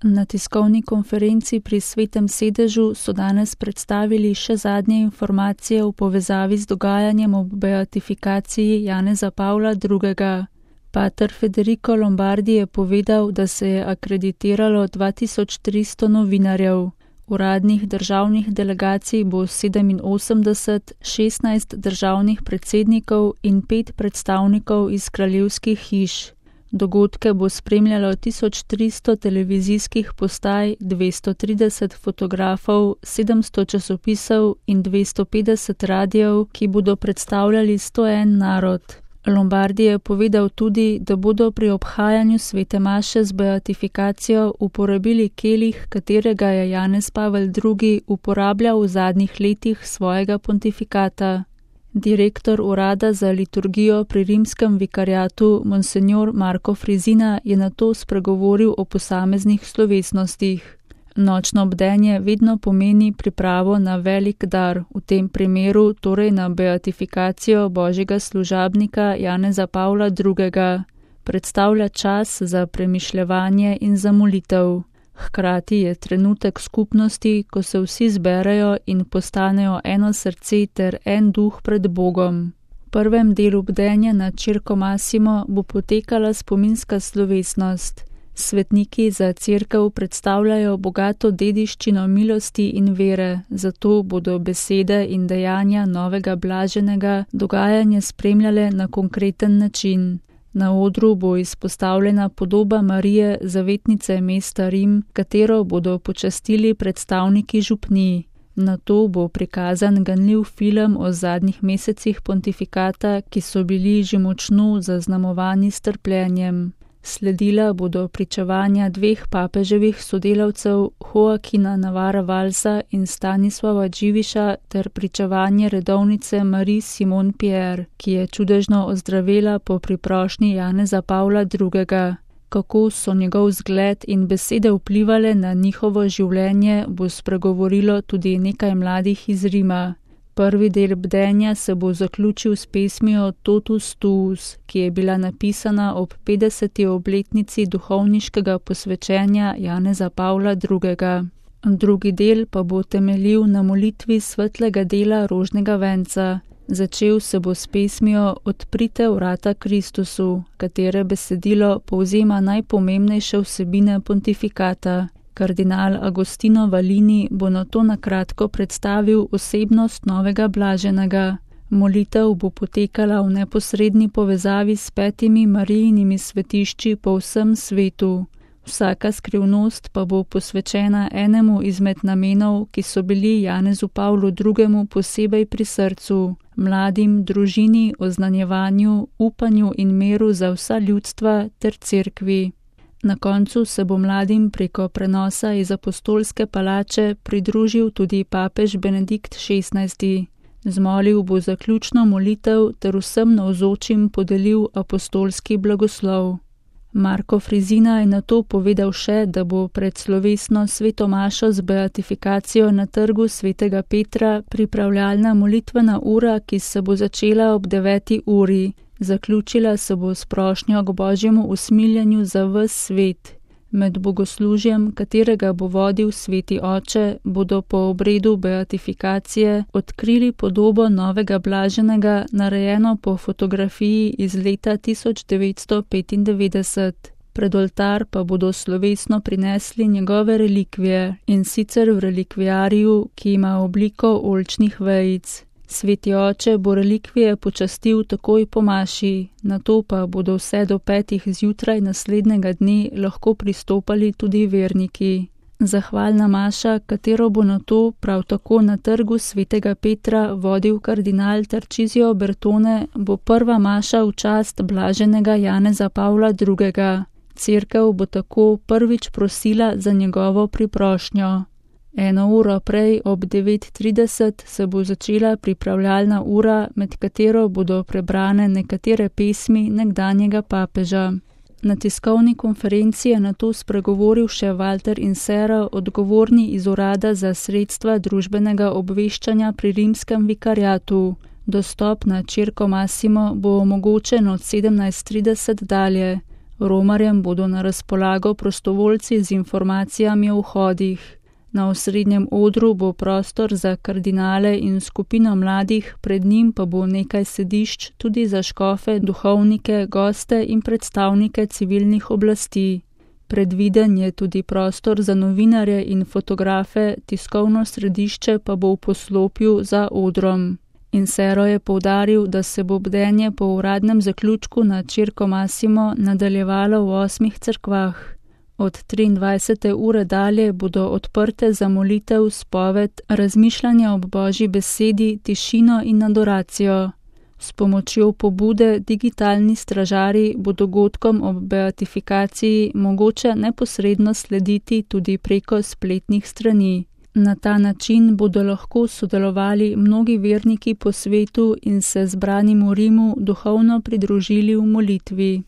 Na tiskovni konferenci pri Svetem sedežu so danes predstavili še zadnje informacije v povezavi z dogajanjem ob beatifikaciji Janeza Pavla II. Pater Federico Lombardi je povedal, da se je akreditiralo 2300 novinarjev. Uradnih državnih delegacij bo 87, 16 državnih predsednikov in 5 predstavnikov iz kraljevskih hiš. Dogodke bo spremljalo 1300 televizijskih postaj, 230 fotografov, 700 časopisov in 250 radijev, ki bodo predstavljali 101 narod. Lombardi je povedal tudi, da bodo pri obhajanju svete maše z beatifikacijo uporabili kelih, katerega je Janez Pavel II. Uporabljal v zadnjih letih svojega pontifikata. Direktor urada za liturgijo pri rimskem vikariatu Monsignor Marko Frizina je nato spregovoril o posameznih slovesnostih. Nočno bdenje vedno pomeni pripravo na velik dar, v tem primeru torej na beatifikacijo božjega služabnika Janeza Pavla II. Predstavlja čas za premišljevanje in za molitev. Hkrati je trenutek skupnosti, ko se vsi zberejo in postanejo eno srce ter en duh pred Bogom. V prvem delu bdenja na Circo Massimo bo potekala spominska slovesnost. Svetniki za cerkev predstavljajo bogato dediščino milosti in vere, zato bodo besede in dejanja novega blaženega dogajanje spremljale na konkreten način. Na odru bo izpostavljena podoba Marije, zavetnice mesta Rim, katero bodo počastili predstavniki župnij. Nato bo prikazan ganljiv film o zadnjih mesecih pontifikata, ki so bili že močno zaznamovani s trpljenjem. Sledila bodo pričevanja 2 papeževih sodelavcev, Joaquina Navara Valsa in Stanislava Dživiša, ter pričevanje redovnice Marie Simon Pierre, ki je čudežno ozdravela po priprošnji Janeza Pavla II. Kako so njegov zgled in besede vplivale na njihovo življenje, bo spregovorilo tudi nekaj mladih iz Rima. Prvi del bdenja se bo zaključil s pesmijo Totus Tuus, ki je bila napisana ob 50. obletnici duhovniškega posvečenja Janeza Pavla II. Drugi del pa bo temeljil na molitvi svetlega dela rožnega venca. Začel se bo s pesmijo Odprite vrata Kristusu, katere besedilo povzema najpomembnejše vsebine pontifikata. Kardinal Agostino Valini bo nato na kratko predstavil osebnost novega blaženega. Molitev bo potekala v neposredni povezavi s 5 Marijinimi svetišči po vsem svetu. Vsaka skrivnost pa bo posvečena enemu izmed namenov, ki so bili Janezu Pavlu II. Posebej pri srcu, mladim, družini, oznanjevanju, upanju in miru za vsa ljudstva ter cerkvi. Na koncu se bo mladim preko prenosa iz apostolske palače pridružil tudi papež Benedikt XVI. Zmolil bo zaključno molitev ter vsem navzočim podelil apostolski blagoslov. Marko Frizina je nato povedal še, da bo pred slovesno sveto mašo z beatifikacijo na trgu svetega Petra pripravljalna molitvena ura, ki se bo začela ob 9. uri. Zaključila se bo s prošnjo k božjemu usmiljenju za ves svet. Med bogoslužjem, katerega bo vodil sveti oče, bodo po obredu beatifikacije odkrili podobo novega blaženega, narejeno po fotografiji iz leta 1995. Pred oltar pa bodo slovesno prinesli njegove relikvije, in sicer v relikvijariju, ki ima obliko oljčnih vejic. Sveti oče bo relikvije počastil takoj po maši, nato pa bodo vse do 5. zjutraj naslednjega dne lahko pristopali tudi verniki. Zahvalna maša, katero bo nato prav tako na trgu svetega Petra vodil kardinal Tarcisio Bertone, bo prva maša v čast blaženega Janeza Pavla II. Cerkev bo tako prvič prosila za njegovo priprošnjo. 1 uro prej ob 9:30 se bo začela pripravljalna ura, med katero bodo prebrane nekatere pesmi nekdanjega papeža. Na tiskovni konferenci je nato spregovoril še Walter Insera, odgovorni iz urada za sredstva družbenega obveščanja pri rimskem vikariatu. Dostop na Circo Massimo bo omogočen od 17:30 dalje. Romarjem bodo na razpolago prostovoljci z informacijami o vhodih. Na osrednjem odru bo prostor za kardinale in skupino mladih, pred njim pa bo nekaj sedišč tudi za škofe, duhovnike, goste in predstavnike civilnih oblasti. Predviden je tudi prostor za novinarje in fotografe, tiskovno središče pa bo v poslopju za odrom. Insero je poudaril, da se bo bdenje po uradnem zaključku na Circo Massimo nadaljevalo v 8 cerkvah. Od 23. ure dalje bodo odprte za molitev, spoved, razmišljanje ob Božji besedi, tišino in adoracijo. S pomočjo pobude Digitalni stražarji bo dogodkom ob beatifikaciji mogoče neposredno slediti tudi preko spletnih strani. Na ta način bodo lahko sodelovali mnogi verniki po svetu in se zbranim v Rimu duhovno pridružili v molitvi.